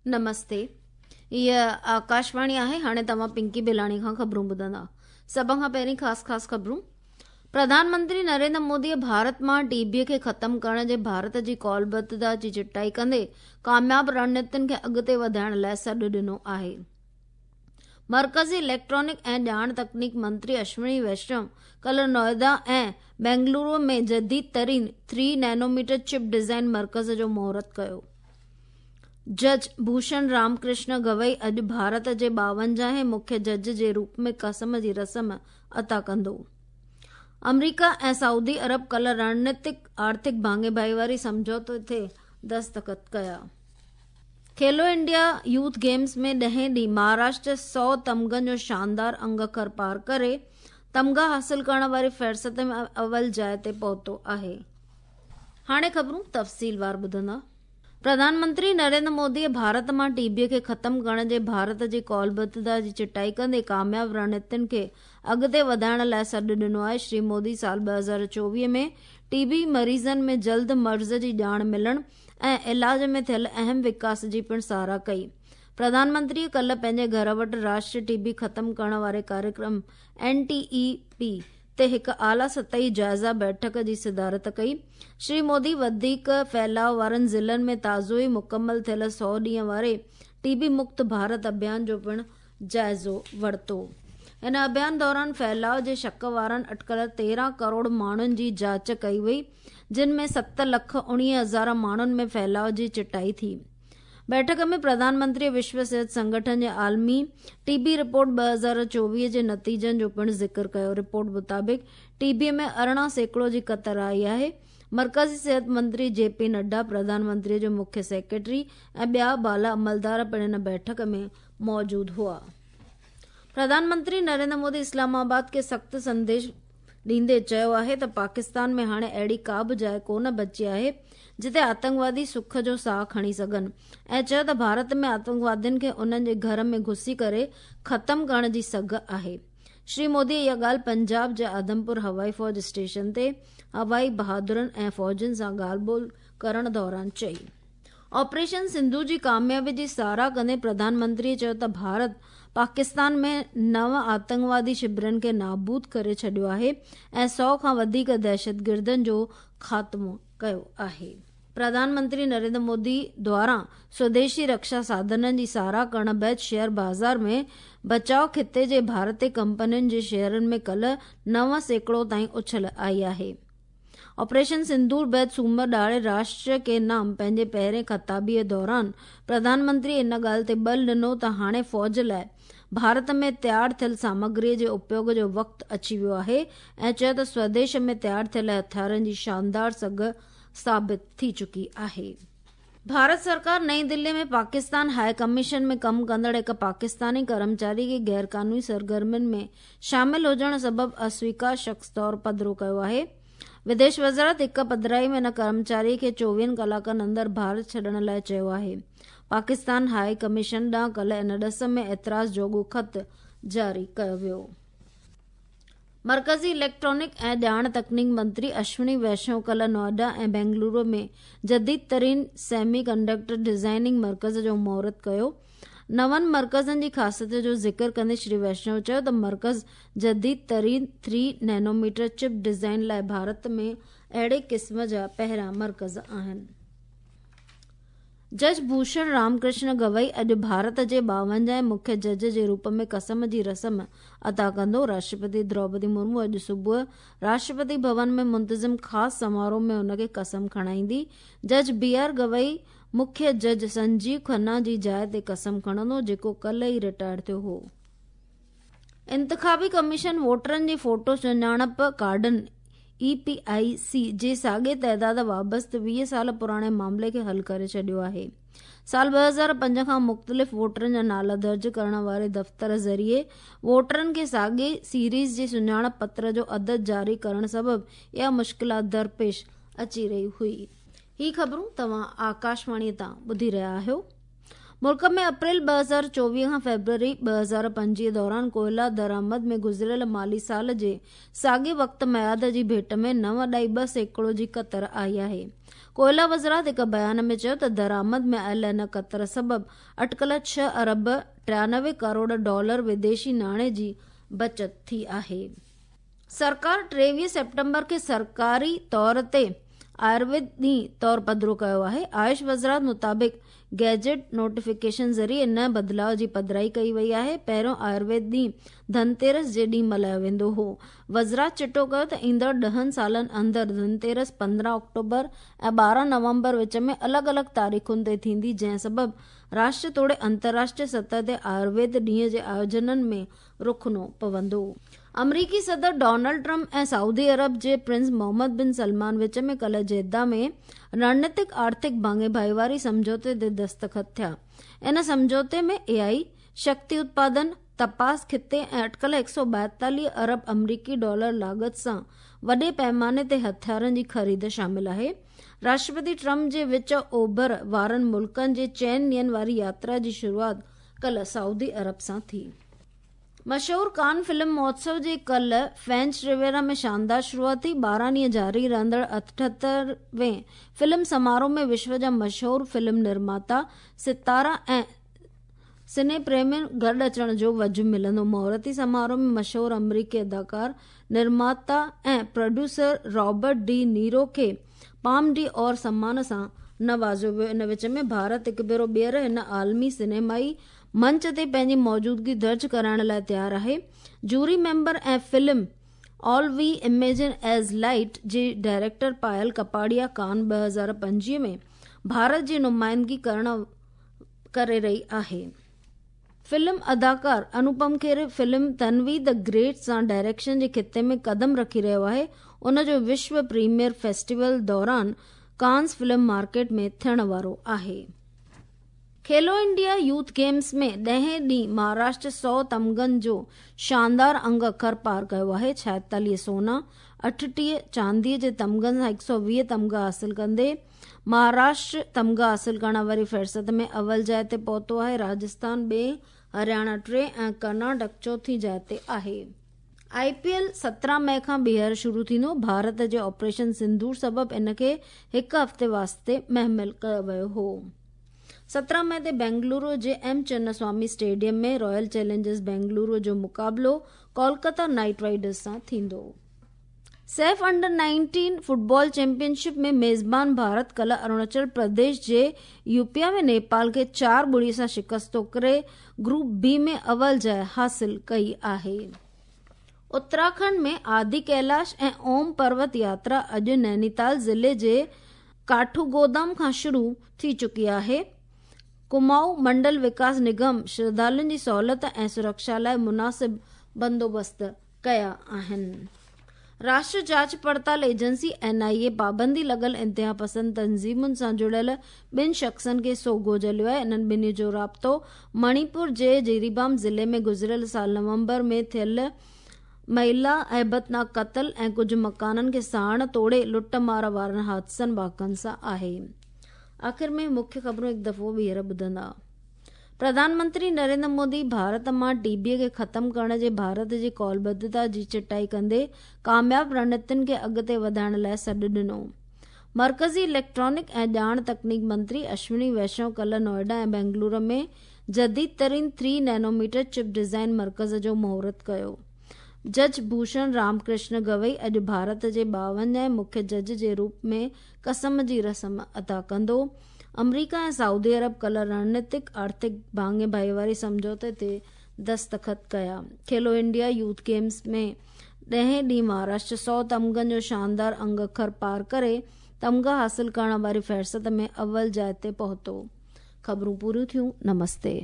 نمستي هيء آڪاشواڻي آهي هاڻي توهان پنڪي بلاڻي کان خبرون ٻڌندا سڀ کان پهرين خاص خاص خبرون پرڌان منتري نريندر مودي ڀارت مان ٽي بي کي ختم ڪرڻ جي ڀارت جي قولبڌتا جي چٽائي ڪندي ڪامياب رڻنيتين کي اڳتي وڌائڻ لاء سڏ ڏنو آهي مرڪزي اليڪٽرانڪ ۽ ڄاڻ تڪنيڪ منتري اشوني ويشنو ڪلهه نوئيڊا ۽ بينگلورو ۾ جديد ترين ٿري نينوميٽر چپ ڊزائن مرڪز جو مهورت ڪيو جج ڀوشڻ رام ڪرشن گوئي اڄ ڀارت جي ٻاونجاهين مکيه جج جي روپ ۾ قسم جي رسم عطا ڪندو. آمريڪا ۽ سعودي عرب ڪلهه رڻنيتڪ آرٿڪ ڀاڱي ڀائيواري سمجهوتي تي دستخط ڪيا. کيلو انڊيا يوٿ گيمز ۾ ڏهين ڏينهن مهاراشٽر سئو تمغن جو شاندار انگ اکر پار ڪري تمغا حاصل ڪرڻ واري فهرست ۾ اول جاء تي پهتو آهي. هاڻي خبرون تفصيلوار ٻڌندا. پرڌان منتري نريندر مودي ڀارت مان ٽي بي کي ختم ڪرڻ جي ڀارت جي قولبڌتا جي چٽائي ڪندي ڪامياب رڻنيتين کي اڳتي وڌائڻ لاء سڏ ڏنو آهي. شري مودي سال 2024 ۾ ٽي بي مريضن ۾ جلد مرض جي ڄاڻ ملڻ ۽ علاج ۾ ٿيل اهم وڪاس جي پڻ ساراهه ڪئي. پرڌان منتري ڪلهه پنهنجي گهر وٽ راشٽري ٽي بي ختم ڪرڻ واري ڪاريڪرم، اين ٽي اي پي، تي هڪ اعليٰ سطحي جائزه بيٺڪ جي صدارت ڪئي. شري مودي وڌيڪ ڦهلاء وارن ضلعن ۾ تازو ئي مڪمل ٿيل سئو ڏينهن واري ٽي بي مڪت ڀارت اڀيان جو پڻ جائزو ورتو. هن اڀيان دوران ڦهلاء جي شڪ وارن اٽڪل 13 ڪروڙ ماڻهن جي جاچ ڪئي وئي، جن ۾ ست لک 19 هزار ماڻهن ۾ ڦهلاء جي چٽائي ٿي. بيٺڪ ۾ پرڌان منتري وشو صحت سنگٺن جي عالمي ٽي بي رپورٽ 2024 جي نتيجن جو پڻ ذڪر ڪيو. رپورٽ مطابق ٽي بي ۾ 18% جي ڪتر آئي آهي. مرڪزي صحت منتري جي پي نڊا، پرڌان منتري جو مکيه سيڪريٽري ۽ ٻيا بالا عملدار پڻ ان بيٺڪ ۾ موجود هئا. پرڌان منتري نريندر مودي اسلام آباد کي سخت سنديش ڏيندي چيو آهي ته پاڪستان ۾ هاڻي اهڙي ڪا به جاء ڪو نه بچي آهي جتي آتنڪوادي سک جو ساهه کڻي سگهن ۽ چيو ته ڀارت ۾ آتنڪوادين کي انهن جي گهر ۾ گهسي ڪري ختم ڪرڻ جي سگهه آهي. شري مودي اها ڳالهه پنجاب جي آدمپور هوائي فوج اسٽيشن تي هوائي بهادرن ۽ فوجين سان ڳالهه ٻولهه ڪرڻ دوران چئي. آپريشن سنڌو جي ڪاميابي جي ساراهه ڪندي پرڌان منتري چيو ته ڀارت پاڪستان ۾ نو آتنڪوادي شبرن کي نابود ڪري ڇڏيو آهي ۽ سئو کان وڌيڪ دهشتگردن جو خاتمو ڪيو آهي. پرڌان منتري نريندر مودي دواران سوديشي رڪشا ساڌنن جي ساراهه ڪرڻ بعد شيئر بازار ۾ بچاء خطي جي ڀارتي ڪمپنين جي شيئرن ۾ ڪلهه 9% تائين اڇل آئي آهي. آپريشن سندور بعد سومر ڏهاڙي راشٽر ڪي نام پنهنجي پهرين خطابي دوران پرڌان منتري ان ڳالهه تي ٻل ڏنو ته هاڻي فوج لاء ڀارت ۾ تيار ٿيل سامگري جي اپيوگ جو وقت اچي ويو آهي ۽ چيو ته سوديش ۾ تيار ٿيل هٿيارن جي شاندار سگهه ثابت ٿي چڪي آهي. ڀارت سرڪار نئين دلي ۾ پاڪستان هاء ڪميشن ۾ ڪم ڪندڙ هڪ پاڪستاني ڪرمچاري کي غيرقانوني سرگرمين ۾ شامل هجڻ سبب اسويڪار شخص طور پڌرو ڪيو آهي. وديش وزارت هڪ پڌرائي ۾ ان ڪرمچاري کي چوويهن ڪلاڪن اندر ڀارت ڇڏڻ لاء چيو آهي. پاڪستان هاء ڪميشن ڏانهن ڪلهه ان ڏس ۾ اعتراض جوڳو خط جاري ڪيو ويو. مرڪزي اليڪٽرانڪ ۽ ڄاڻ تڪنيڪ منتري اشوني ويشنو ڪلهه نوئيڊا ۽ بينگلورو ۾ جديد ترين سيمي ڪنڊڪٽر ڊزائننگ مرڪز جو مهورت ڪيو. نون مرڪزن جي خاصيت جو ذڪر ڪندي شري ويشنو چيو ته مرڪز جديد ترين ٿري نينوميٽر چپ ڊزائن لاء ڀارت ۾ اهڙي قسم جا پهريان مرڪز آهن. جج ڀوشڻ رام ڪرشن گوئي اڄ ڀارت جي ٻاونجاهين مکيه جج جي روپ ۾ قسم جي رسم ادا ڪندو. راشٽرپتي دروپدي مرمو اڄ صبح راشٽرپتي ڀون ۾ منتظم خاص سماروهه ۾ هن کي قسم کڻائيندي. جج بي آر گوئي مکيه جج سنجيو کنا جي جاء تي قسم کڻندو جيڪو ڪلهه ئي رٽائر ٿيو هو. انتخابي ڪميشن ووٽرن جي فوٽو سڃاڻپ ڪارڊن، اي پي آء سي، جي ساڳئي تعداد وابسته 20 سال پراڻي معاملي کي حل ڪري ڇڏيو آهي. سال 2005 کان مختلف ووٽرن جا نالا درج ڪرڻ واري دفتر ذريعي ووٽرن کي ساڳئي سيريز جي سڃاڻپ پتر جو عدد جاري ڪرڻ سبب اها مشڪلات درپيش اچي رهي هئي. هي خبرون توهان آڪاشواڻي تان ٻڌي رهيا آهيو. ملڪ ۾ اپريل 2024 کان فيبروري 2025 دوران ڪوئلا درآمد ۾ گذريل مالي سال جي ساڳئي وقت ميعاد جي ڀيٽ ۾ 9.2% جي ڪتر آئي آهي. ڪوئلا وزارت هڪ بيان ۾ چيو ته درآمد ۾ آيل ان ڪتر سبب اٽڪل 6 ارب 93 ڪروڙ ڊالر وديشي ناڻي جي بچت ٿي آهي. سرڪار 23 سيپٽمبر کي سرڪاري طور تي آيورويد ڏينهن طور پڌرو ڪيو آهي. آيوش وزارت مطابق گيجيٽ نوٽيفڪيشن ذريعي ان بدلاء جي پڌرائي ڪئي وئي آهي. پهريون آيورويد ڏينهن ڌنتيرس جي ڏينهن ملهايو ويندو هو. وزارت چٽو ڪيو ته ايندڙ 10 سالن اندر ڌنتيرس 15 آڪٽوبر ۽ 12 نومبر وچ ۾ الڳ الڳ تاريخن تي ٿيندي، جنهن سبب راشٽريه توڙي انترراشٽريه سطح تي آيورويد ڏينهن جي آيوجنن ۾ رخنو پوندو. آمريڪي صدر ڊونلڊ ٽرمپ ۽ سعودي عرب جي پرنس محمد بن سلمان وچ ۾ ڪلهه جده ۾ رڻنيتڪ آرٿڪ ڀاڱي ڀائيواري سمجهوتي تي دستخط ٿيا. ان سمجهوتي ۾ اي آء، شڪتي اتپادن، تپاس خطي ۽ اٽڪل 142 ارب آمريڪي ڊالر لاڳت سان وڏي پئماني تي هٿيارن جي خريد شامل آهي. راشٽرپتي ٽرمپ جي وچ اوڀر وارن ملڪن جي چئن ڏينهن واري ياترا جي شروعات ڪلهه سعودي عرب سان ٿي. مشهور ڪان فلم مهوتسو جي ڪلهه فرينچ ريويرا ۾ شاندار شروعات ٿي. 12 ڏينهن جاري رهندڙ 78 وين فلم سماروهه ۾ وشو جا مشهور فلم نرماتا، ستارا ۽ سني پريمين گڏ اچڻ جو وجهه ملندو. مهورتي سماروهه ۾ مشهور آمريڪي اداڪار، نرماتا ۽ پروڊيوسر رابرٽ ڊي نيرو کي پام ڊي اور سمان سان نوازيو ويو. ان وچ ۾ ڀارت هڪ ڀيرو ٻيهر هن عالمي سئنيمائي منچ تي پنهنجي موجودگي درج ڪرائڻ لاء تيار آهي. Jury member ۽ film all we imagine as light جي ڊائريڪٽر پائل ڪپاڙيا ڪان 2025 ۾ ڀارت جي نمائندگي ڪرڻ ڪري رهي آهي. فلم اداڪار Anupam Kher film Tanvi the great سان ڊائريڪشن جي خطي ۾ قدم رکي رهيو آهي. ان جو وشو پريميئر فيسٽيول دوران ڪانز فلم مارڪيٽ ۾ ٿيڻ وارو آهي. کيلو انڊيا يوٿ گيمز ۾ ڏهين ڏينهن مهاراشٽر 100 تمغن جو شاندار انگ اکر پار ڪيو آهي. 46 سونا، 38 چانديء جي تمغن سان 120 تمغا حاصل ڪندي مهاراشٽر تمغا حاصل ڪرڻ واري فهرست ۾ اول جاء تي پهتو آهي. راجسٿان ٻئين، هرياڻا ٽئين ۽ ڪرناٽڪ چوٿين جاء تي آهي. آء پي ايل 17 مئي کان ٻيهر شروع ٿيندو. ڀارت جي آپريشن سنڌور سبب ان کي هڪ هفتي واسطي مهمل ڪيو ويو هو. 17 مئي تي بينگلورو جي M Chinnaswamy stadium ۾ Royal Challengers Bengaluru جو مقابلو ڪولڪتا نائيٽ رائيڊرز سان ٿيندو. سيف انڊر 19 فٽبال چيمپيئن شپ ۾ ميزبان ڀارت ڪلهه اروناچل پرديش جي يوپيا ۾ نيپال کي 4-0 سان شڪست ڪري گروپ بي ۾ اول جاء حاصل ڪئي آهي. اتراکنڊ ۾ آدي ڪيلاش ۽ اوم پروت ياترا اڄ نينيتال ضلعي جي ڪاٺوگودام کان شروع ٿي چڪي آهي. ڪمائون منڊل وڪاس نگم شرڌالن جي سهولت ۽ سرڪشا لاء مناسب بندوبست ڪيا آهن. راشٽر جاچ پڙتال ايجنسي، اين آء اي، پابندي لڳل انتهاپسند تنظيمن سان جڙيل ٻن شخصن کي سوگهو جهليو آهي. انهن ٻنهي جو رابطو مڻيپور جي جيريبام ضلعي ۾ گذريل سال نومبر ۾ ٿيل مهيلا هيبتناڪ قتل ۽ ڪجهه مڪانن کي ساڙڻ توڙي لٽ مار وارن حادثن واقعن سان آهي. آخر ۾ مکيه خبرون هڪ دفعو ٻيهر ٻڌندا. پرڌان منتري نريندر مودي ڀارت مان ٽي بي کي ختم ڪرڻ جي ڀارت جي قولبڌتا جي چٽائي ڪندي ڪامياب رڻنيتين کي اڳتي وڌائڻ لاء سڏ ڏنو. مرڪزي اليڪٽرانڪ ۽ ڄاڻ تڪنيڪ منتري اشوني ويشنو ڪلهه نوئيڊا ۽ بينگلورو ۾ جديد ترين ٿري نينوميٽر چپ ڊيزائن مرڪز جو مهورت ڪيو. جج ڀوشڻ رام ڪرشن گوئي اڄ ڀارت جي 52 هين مکيه جج جي روپ ۾ قسم جي رسم ادا ڪندو. آمريڪا ۽ سعودي عرب ڪلهه رڻنيتڪ آرٿڪ ڀاڱي ڀائيواري سمجهوتي تي دستخط ڪيا. کيلو انڊيا يوٿ گيمز ۾ ڏهين ڏينهن مهاراشٽر 100 تمغن جو شاندار انگ اکر پار ڪري تمغا حاصل ڪرڻ واري فهرست ۾ اول جاء تي پهتو. خبرون پوريون ٿيون. نمستي.